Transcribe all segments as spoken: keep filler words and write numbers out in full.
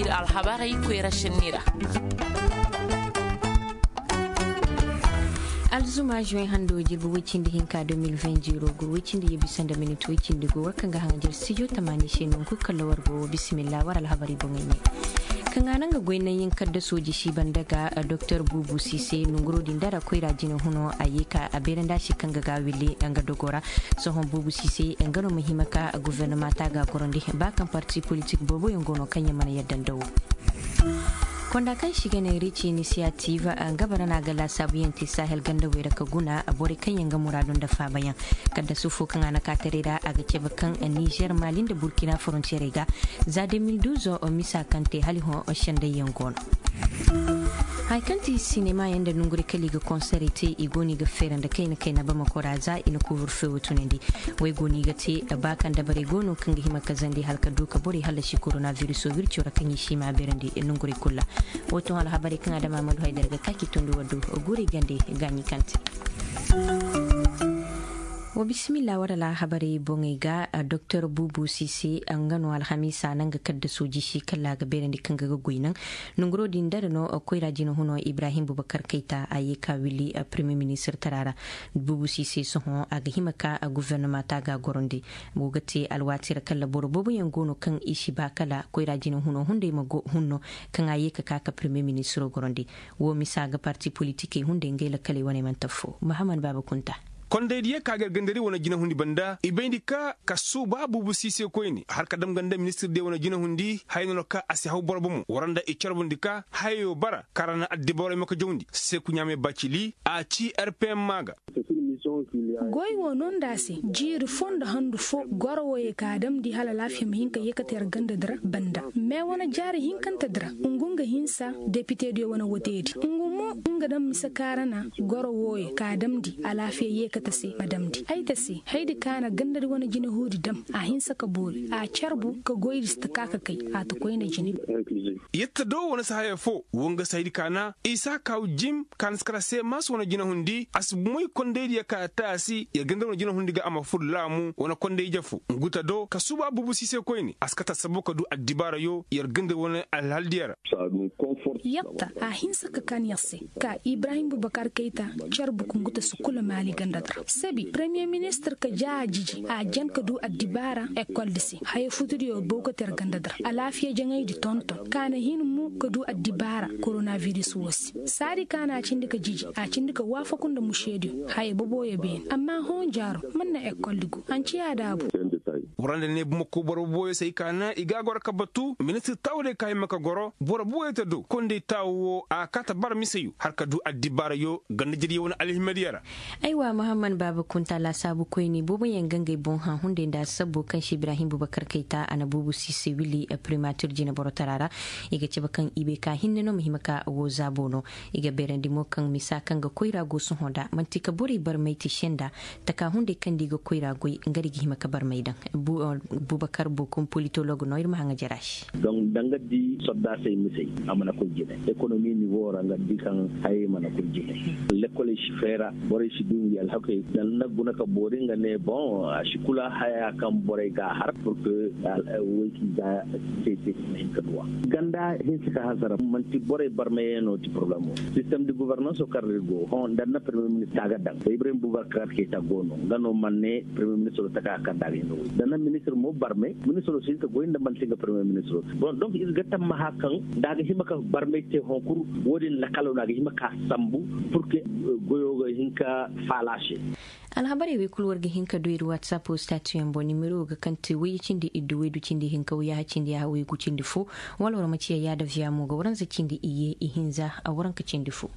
Alhabarey koyra sinni ra. Alzuma juwen hando jirbi woy cindi hinka deux mille vingt zero gur woy cindi ye bisa nda minit woy cindi gu war kaŋ ga haŋajer studio tamaani se nongu kalla war go bisimilla war alhabarey boŋey ne. Kaŋ a naŋ ga goy naŋ yaŋ kadda sooji si banda ga doktor buubu siise nonguro din dara koyra jine huno a ye ka a beerandi a se kaŋ ga ga wille nga dogo ra. Sohõ buubu siise nga no ma hima ka guvernama ta ga gorandi ba kaŋ parti politik boobo yaŋ go no kaŋ yaŋ mana yadda nda wo. Konda kaŋ si ga ne rici inisiyativ nga bara no a ga laasaabuyaŋ te sahel ganda wey ra ka guna borey kaŋ yaŋ ga muraadu nda faabayaŋ. Kaddasu fo kaŋ a na kaataray ra a ga cabe kaŋ nizer mali nda burkina forontiyerey ga za deux mille douze misa kaŋ te hala i hõ sendayyaŋ go no. Haya kaŋ ti sinema yaŋ nda nongurey kala i ga konserey te i go no i ga feera nda kayna kayna bamako ra za i na kuuburfe wo tunandi. Wey go no i ga te ba kaŋ dabarey go no kaŋ ga hima ka zandi hala ka du ka borey hallasi korona viriso wirco ra kaŋ i si ma a beerandi nongurey kulu ra. Wo to alhabarey kaŋ adama madu haydara ga kaaki tondi waddu guurey gande gaaɲi kaŋ te. Wa bisimilla war alhabarey boŋey ga doktor buubu siise nga no alhamiisa naŋ ga kadda sooji si kala a ga beerandi kaŋ ga ga goy naŋ. Nonguro din dara no koyra jina huno ibrahim bubakar kayta a ye ka willi premier ministir tara ra. Buubu siise sohõ a ga hima ka guvernama ta ga gorandi. Go ga te alwaati ra kala boro booboyaŋ go no kaŋ i si ba kala koyra jina huno hunday ma go hunno kaŋ a ye ka ka ka premier ministiro gorandi. Wo misa ga parti politikey hunday ngey lakkaley wane mana taffo mahammad baaba kunta. Kondey diya ka ga ir gandari wane jina hundi banda i bayndi ka ka suuba buubu siise koyne har ka dam ganda ministir diya wane jina hundi haya no no ka a si haw boro bomo wara nda i carbundi ka hayayo bara kaŋ ra na addibawarey ma ka jawndi seeku ɲaamey bacili a ci rpm ma ga. Goy wo no nda a se jiiri fo nda handu fo goro woyey ka a damndi hala alaafiya ma hin ka yeekate yar ganda di ra banda. Me wane jaari hinkante di ra ngu nga hinsa depitediyo wane woteedi ngu mo nga daŋ mise kaarana goro woyey ka a damndi alaafiya yeekate se ma damndi ay ta se haydi ka na ganda di wane jinahuudi dam a hinsa ka boori a carbu ka goydi si ta ka ka kay a ta koyne jine. Yette do wane si haya fo wo nga si haydi ka na isa kaw jim ka na si kala se maas wane jinahundi a si moy kondaydiyo ka a taasi yer ganda wane jinahundi ga a ma fur laamu wane kondayje fo ngu ta do ka suuba buubu siise koyne a si kate assabo ka du addibaarayo yer ganda wane alhaldiyo ra. Yette a hinsa ka kan yer se ka ibrahim bubakar kayta carbu ka ngu ta si kula maali ganda di ra sabi premiye ministir ka ja a jiji a jan ka du addibaara ekol di se haya futudiyo bow ka ter ganda di ra alaafiya jaŋaydi tonton ka na hin mo ka du addibaara koronabiris wo se saadi ka na a cindi ka jiji a cindi ka waafaku nda mušediyo haya boboyo beene amma hõ jaaro man na ekol di go hanci a daabu. Waranda ne bumako boro boboyo se ay ka na i ga a goro ka batu ministir taawudiyo ka hima ka goro boro boboyo ta do konday taawu wo a kaata bara miseyo har ka du addibaarayo ganda jiriyo wane alhimadiyo ra. Aywa mahammad baaba kunta laasaabu koyne booboyaŋ ga ngey boŋ hã hunday nda assabbo kaŋ se ibrahim bubakar kayta a na buubu siise wili primatir jineboro tara ra. I ga cabe kaŋ i bay ka hinne no ma hima ka wo zaabo no. I ga beerandi mo kaŋ misa kaŋ ga koyra go sohõ nda man'ti ka borey barmay ti senda taka hunday kaŋ nda i ga koyra goy nga ra i ga hima ka barmay daŋ. Bubakar bokum politolog no ir ma haŋa jara se. Donk da nga di soddaasey misey a mana koy jine ekonomi nivo ra nga di kaŋ hayey mana koy jine. Lekoley si feera borey si du ngi alhakey da na guna ka boori nga ne boŋ a si kula haya kaŋ borey ga a har pur ke woy kaŋ i ga te te i ma hin ka duw'a. Ganda hinsa ka hasara man'ti borey barmayey no ti poroblemo sistem de guvernanso kaŋ ra ir go hõ nda na premier ministir a ga daŋ da ibrahim bubakar keta go no nga no man ne premier ministiro taka kaŋ da a ga hin ga goy da na ministir mo barmay ministiro si hin ka goy nda man'ti nga premier ministiro. Bon donk ir ga tammaha kaŋ nda a ga hima ka barmay te hõ kul wo-din lakalo no a ga hima ka sambu pur ke goyo ga hin ka faala se. Alhabarey wey kul war ga hin ka du ir watsapo statiyaŋ boŋ nimero ga kaŋ te wayye cindi iddu waydu cindi hinka wayyaha cindi yaha waygu cindi fo. Wala war ma ciya yaada viya mo ga waranza cindi iyye ihinza a waranka cindi fo.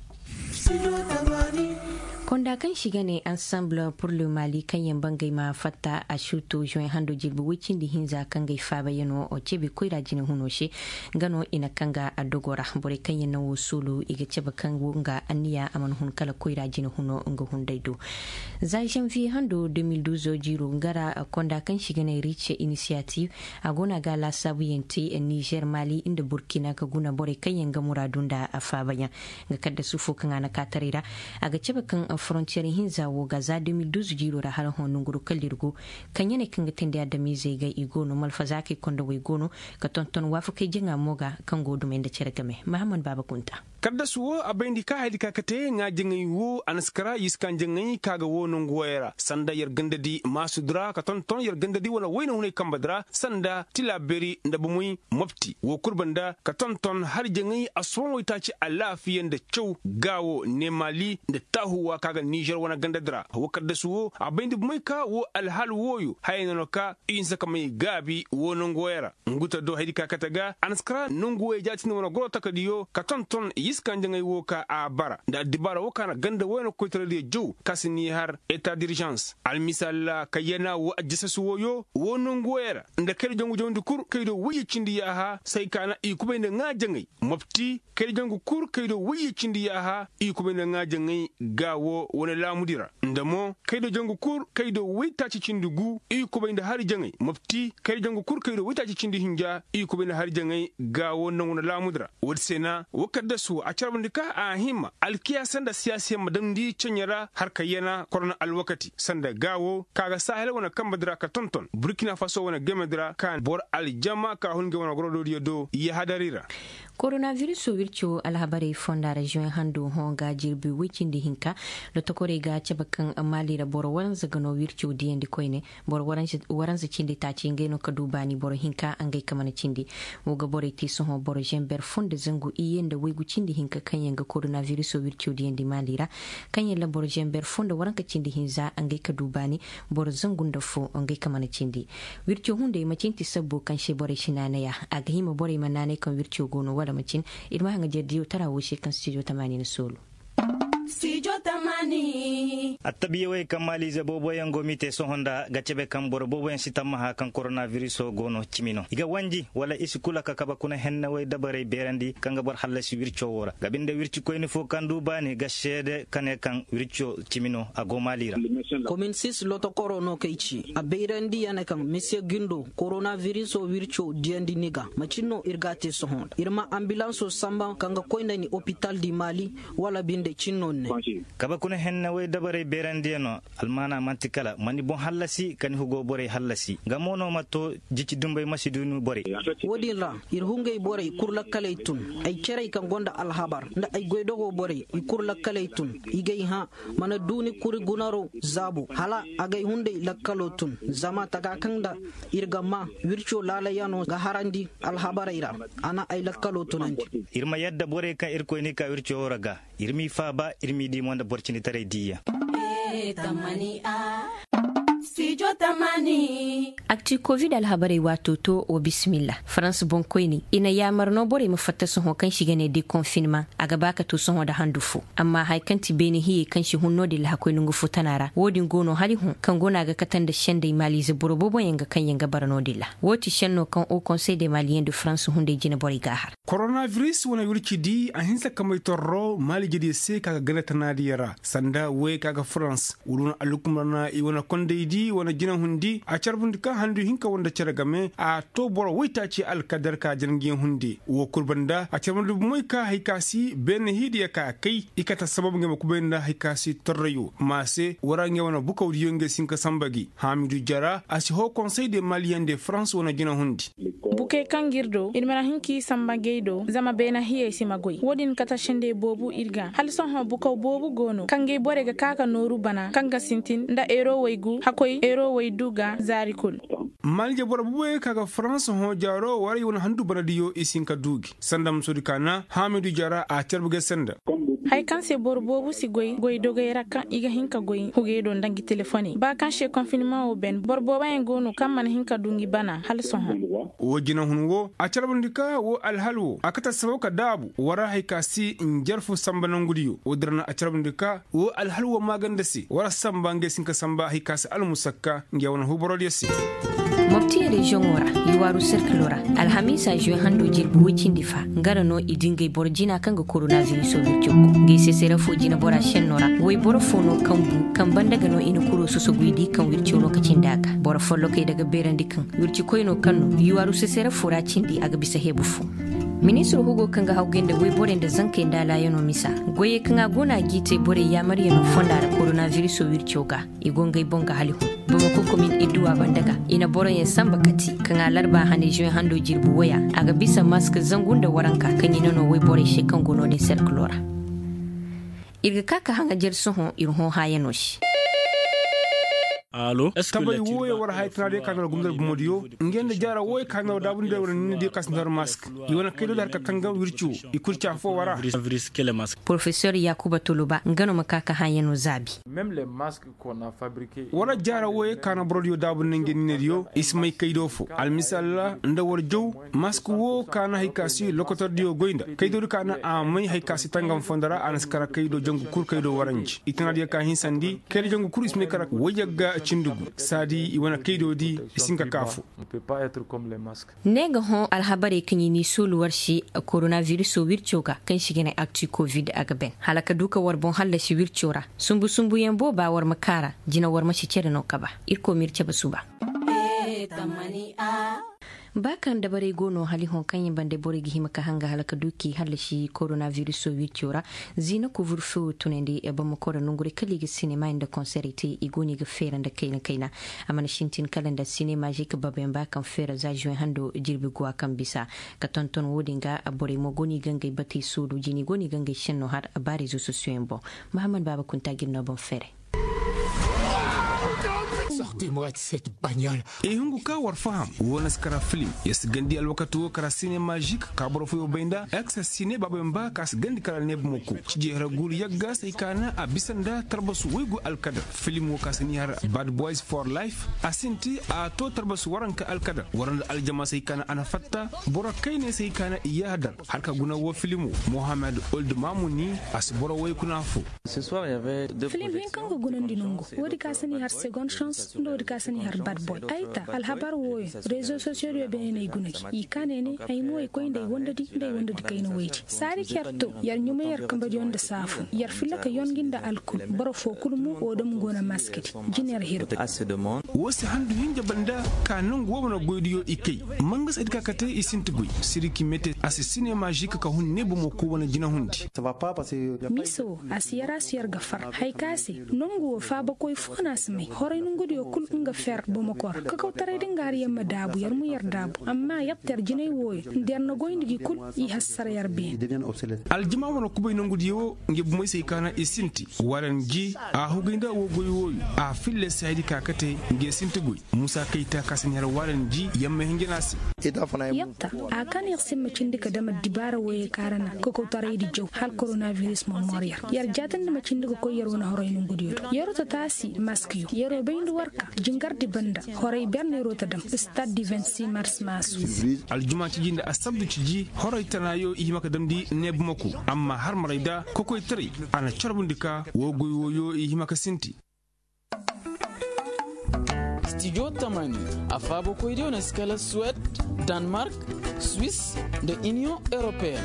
Konda kaŋ se i ga ne ansamble pur le mali kaŋ yaŋ bangey ma fatta a suuto zuwen hando jirbi woy cindi hinza kaŋ ga ay faabayano cebe koyra jine huno se. Nga no i na kaŋ ga a dogo ra borey kaŋ yaŋ na wo suulu i ga cebe kaŋ wo nga anniya a mana hun kala koyra jine huno nga hunday do. Za zanviye hando deux mille douze jiiro nga ra konda kaŋ se i ga ne rice inisiyativ a go no a ga laasaabuyaŋ te nizer mali nda burkina ka guna borey kaŋ yaŋ ga muraadu nda a faabayaŋ. Nga kaddasu fo kaŋ a na kaataray ra a ga cabe kaŋ Forontiyer hinza wo ga za de mil duuz jiiro ra hala hõ nonguro kala ir go. Kaŋ ya ne kaŋ ga teendi adamizey ga i go no malfazaakey kondowey go no, ka tonton waafakey jaŋa mo ga kaŋ go dumey nda cere game mahammad baaba kunta. Kaddasu wo a bayndi ka haydi ka kate ŋaa jaŋay wo a na si kara i si kaŋ jaŋay ka ga wo nangu woyey ra sanda yer gandadi maasudi ra ka tonton yer gandadi wane wayna hunay kambadi ra sanda tilaberi nda bomoy mopti wo kul banda ka tonton hari jaŋay asubaŋ waytaaci alaafiya nda caw gaawo neemaali nda taahuwa ka ga nizer wane gandadi ra wo kaddasu wo a bayndi bomoy ka wo alhaal wooyo hayey no no ka i hinsa ka may gaabi wo nangu woyey ra. Ngu ta do haydi ka kate ga a na si kara nangu woyey jaatindi wane goro takadiyo ka tonton i si kaŋ jaŋay wo ka a bara nda addibaara wo ka na ganda woyey no koytaradiyo jaw ka si ni har eta dirzans almisaal ra kayyana wo ajjasasu woyo wo nangu woyey ra nda kayda jangu jawndi kul kaydo woyye cindi yaaha say ka na i kubay nda ŋaa jaŋay mopti kayda jangu kul kaydo woyye cindi yaaha i kubay nda ŋaa jaŋay gaawo wane laamudi ra nda mo kayda jangu kul kaydo woytaaci cindi gu i kubay nda hari jaŋay mopti kayda jangu kul kaydo woytaaci cindi hinja i kubay nda hari jaŋay gaawo nda wane laamudi ra woodi se na wo kaddasu a carbandi ka a hima alkiyaasa nda siyaasiyaŋ ma damndi ceɲe ra harka yana korona alwakati sanda gaawo ka ga sahel wane kambadi ra ka tonton burkina faso wane gemedi ra ka boro aljama ka hun ngey wane gorodoodiyo do yahadari ra. Koronabiriso wirco alhabarey fonda ra zuwen hando hõ ga jirbi woy cindi hinka. Lotokorey ga cabe kaŋ maali ra boro waranza ga no wirco diyandi koyne. Boro waranza cindi taaci ngey no ka du baani boro hinka ngey ka mana cindi. Wo ga borey te sohõ boro zember fo nda zangu iyye nda waygu cindi hinka kaŋ yaŋ ga koronabiriso wirco diyandi maali ra. Kaŋ yaŋ ra boro zember fo nda waranka cindi hinza ngey ka du baani. Boro zangu nda fo ngey ka mana cindi. Wirco hunday macin ti sabbo kaŋ se borey si naanay a a ga hima borey ma naanay kaŋ wirco go no wala macin. Ir ma haŋajer diyo tara wo se kaŋ stijo tamaani na soolu. Attabiyawey kaŋ maaliize booboyaŋ go m'i te sohõ nda ga cebe kaŋ boro booboyaŋ si tammaha kaŋ koronabiriso go no cimi no i ga wanji wala i si kula ka kabe kuna hennawey dabarey beerandi kaŋ ga boro hallasi wirco wo ra ga binde wircikoyni fo kaŋ du baani ga seede ka ne kaŋ wirco cimi no a go maali ra. Komin sis lotokoro no kay ci a bayrandi ya ne kaŋ misiye gindo koronabiriso wirco diyandi ni ga macin no ir ga a te sohõ nda ir ma ambilanso samba kaŋ ga koy nda ni opital di maali. Wala binde cin no ni ne. Kabe kuna henne way dabarey beerandiyaŋo almaana man'ti kala ma ni boŋ hallasi ka ni hugo borey hallasi nga mo no ma to jici dumbey ma si du ni borey. Wo-din ra ir hungey borey kul lakkaley tun ay cerey kaŋ gonda alhabar nda ay goydogo borey i kul lakkaley tun i gay hã mana du ni kuri gunaro zaabo hala agay hunday lakkalo tun zama taga kaŋ nda ir ga maa wirco laalayano ga harandi alhabarey ra. A na ay lakkalo tunandi. Ir ma yadda borey kaŋ irkoy n'i ka wirco wo ra ga ir m'i faaba ir m'i di mo nda boro cinditaray diiyaŋ. Akti kovid alhabarey waato to wa bisimilla farans boŋkoyni i na yaamar no borey ma fatta sohõ kaŋ si ga ne de konfinmaŋ a ga ba ka to sohõ nda handu fo. Amma haya kaŋ ti beene hiyey kaŋ si hun no-din lahakoy nongu fo tana ra wo-din go no hala i hun kaŋ go no a ga kate nda sendey maaliize boro booboyaŋ ga kaŋ yaŋ ga bara no-din ra. Wo ti senno kaŋ o konsey de maaliyeŋ de farans hunday jine borey g'a har. Koronabiris wane wirci di a hinsa ka may torro maaliijediyo se ka ga gana tanaadiyo ra sanda woyey ka ga farans wala wane allukumar na i wane kondey di wane jinahundi a carbundi ka handu hinka wanda cere game a to boro woytaaci alkadar ka janandiyaŋ hunde wo kul banda a carbundi bomey ka hari ka si beene hiidiyo ka kay i kate sabab ngey ma kubay nda hari ka si torrayo ma se wara ngey wane bukawdiyo ngey si hin ka samba gi haamidu jara a si hoo konsey de maaliyeŋ de farans wane jinahundi. Bukey kaŋ ga ir do ir mana hin k'i samba gay do zama beena hiyey si ma goy wo-din kate sendey boobu ir ga hala sohõ bukaw boobu go no kaŋ gay borey ga ka ga nooru bana kaŋ ga sintin nda eero waygu hakoy eero waydu ga zaari kul. Maalije boro booboyaŋ ka ga farans hõ jaaro waray wane handu banadiyo i si hin ka du gi sanda musoodi kaana haamidu jaara a carbe gay sanda. Haya kaŋ se boro boobu si goy goy dogey ra kaŋ i ga hin ka goy hugey do nda ngi telefoney ba kaŋ se konfinmaŋo ben boro booboyaŋ go no kaŋ mana hin ka du ngi bana hala sohõ. Wo jinahun wo a carbandi ka wo alhal wo a kate sabab ka daabu wara hari ka si njarfu samba nangudiyo wo dira na a carbandi ka wo alhal wo maaganda se wara samba ngey si hin ka samba hari ka si almusakka ngey wane huuborodiyo se. Mopti reziyoŋo ra, i waaru serkilo ra, alhamiisa zuwe hando jirbi woy cindi fa nga ra no i di ngey boro jina kaŋ ga koronabiriso wirco ku ngey sesere fo jinabora senno ra woy boro fo no kaŋ bu kaŋ banda ga no i na kuro sosoguy di kaŋ wirco no ka cindi a ga boro follokey daga beerandi kaŋ wircikoy no kaŋ no yuwaaru sesere fo ra cindi a ga bisa heebu fo. Ministir hugo kaŋ ga hawgay nda woyborey nda zankey nda alaayanoo misa, goyey kaŋ a go no a g'i te borey yaamaryanoo fonda ra koronabiriso wirco ga, i go ngey boŋ ga hali hun. Bamako komin idduwa banda ga, i na boroyaŋ sanba kati kaŋ a larba hane zuwe hando jirbi woya, a ga bisa mask zangu nda waranka kaŋ i na no woyborey se kaŋ go no-din serkiloo ra. Ir ga ka ka haŋajer sohõ ir hõ haayanoo se. Tabay wooyo war haya tana diyo ka na war gumdar bumodiyo, ngey nda jaara wooyo ka na war daabu nda war niina diyo ka si nda war mask. I wane kaydo da har ka tangam wirci wo, i kul ci affoo war a. Porofesor yaakuba toloba nga no ma ka ka haayanoo zaabi. War jaara wooyo ka na borodiyo daabu nda ngey niina diyo, i si may kaydo foo almisaal ra nda war jaw. Mask woo ka na hari ka si lokotordiyo goy nda kaydo di ka na a may hari ka si tangam fondo ra a na si kara kaydo jangu kul kaydo waranji i tana diyo ka hinsandi kaydo jangu kul i si may kara wayyaŋ ga cindi gu saadi i wane kaydo di. I si hin ka kaa foo. Ne ga hõ alhabarey kaŋ i n'i soolu war se. Koronabiriso wirco ga kaŋ se i ga ne akti kovid a ga ben hala ka du ka war boŋ hallasi wirco ra. Sumbu sumbuyaŋ booba war ma kaara jina war ma si cere no kaba. Irkoy m'ir cabe suba. Ba kaŋ dabarey go no hali hõ kaŋ yaŋ bande borey ga hima ka hanga hala ka du k'i hallasi koronabiriso wirco ra. Ziina kuvur fewo tunandi bamako ra nongurey kala i ga sinema nda konserey te i go no i ga feera nda kayna kayna. A mana sintin kala nda sinema zika babayaŋ ba kaŋ feera za zuwe hando jirbi guwa kaŋ bisa. Ka tonton wo-din ga borey mo go no i ga ngey batey soodu jina i go no i ga ngey senno har ba rezo sosiyoyaŋ boŋ. Mahammad baaba kunta ga ir no boŋ feeray. I hungu ka war faham wo na si kara filim. Ya si gandi alwakati wo kara sinema zik ka boro fooyo bay nda eksa sine baaba yamba ka si gandi kara neeba moko. Cijey hara guuru yagga se hay ka na a bisa nda tarbasu waygu alkadar filim wo ka si ni har bad boys for life. A sinti a to tarbasu waranka alkadar wara nda aljama se hay ka na a na fatta. Boro kayney se hay ka na i yaadar har ka guna wo filim wo. Mohamed old mamuni a si boro way kuna fo. Filim hinka nga gunandi nongo. Woodi ka si ni har segond chance nda woodi ka si ni har bad boy ay ta alhabar wooyo. Rezo sosiyo diyo beene no ay guna gi i ka ne ne ay mo ay koy nda ay wandadi nda ay wandadi kayna woydi saari ker to. Yer ɲumay yer kambadiyo nda saafu yer filla ka yongi nda alkul. Boro foo kul mo woo dam go na maskadi. Jina yer hiru. Woo si handu hinja banda ka nongu woo mana goydiyo i kay. Mangas ay di ka kate i sinti goy siriki mete a si sinema žik ka hun ne bomo koo wane jina hundi. Miisa woo a si yer a si yer ga far. Haya ka se nongu woo faabakoy foo no a si may horay nongudiyo kul nga fer bomokor kakawtaray da nga har yer ma daabu yer ma yer daabu amma yer ter jinay wooyo nda yer na goyndi gi kul. I hassara yer beene. Aljima wane kubay nongudiyo woo nge bomey se hay ka na i sinti. Waran ji a hugay nda woo goy wooyo a filla se haydi ka kate nge sinti goy. Musa kayta ka si ni har waran ji yer ma hinja no a se. Yer ta a ka no yer se ma cindi ka dam addibaara wooyey ka ra na kakawtaraydi jaw hala koronabiris ma mor yer. Yer jaatindi ma cindi ka koy yer wane horay nongudiyo do yeroo tataasi maskiyo yeroo bayndi warka jingardi banda. Horay ber no yeroo ta dam stad di vingt six mars maasu. Aljuma ciji nda assabdu ciji horay tanaayo i hima ka damndi neebumako. Amma har maray da kokoytaray a na carbundi ka woo goy wooyo i hima ka sinti. Stijo tamani a faabakoydiyo na si kala suwed, danmark, swis, nda iniyoŋ europeen.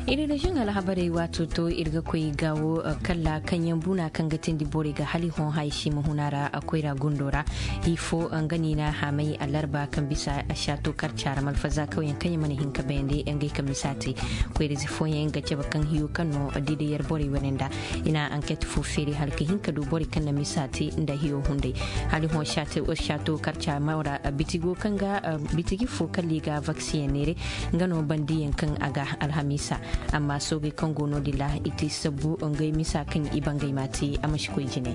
Ir reziyoŋ alhabarey waato to ir ga koy gaawo kalla kaŋyaŋ buna kaŋ ga teendi borey ga hali hõ haya si ma hun a ra. Koyra gundo ra, hii fo nga no i na a haamay alarba kaŋ bisa saato karca ra malfaza kawyaŋ kaŋ i mana hin ka bayandi ngey kaŋ misa te. Koyra ize fooyaŋ nga cabe kaŋ hiyo kaŋ no di da yer borey wane nda i na anket fo feeri hala ka hin ka du borey kaŋ na misa te nda hiyo hunday. Hala i hõ saato karca mawra bitigo kaŋ ga bitigi fo kala i ga vaksiyeŋ neere. Nga no bandiyaŋ kaŋ a ga alhamiisa. Amma soogey kaŋ go no-din ra i te sabbu ngey misa kaŋ i bangey ma te a ma si koy jine.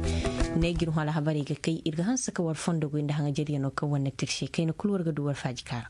Ne ga ir hõ alhabarey ga kay ir ga hanse ka war fondo goy nda haŋajeryanoo kaŋ war na tirse kayna kul war ga du war faaji kaara.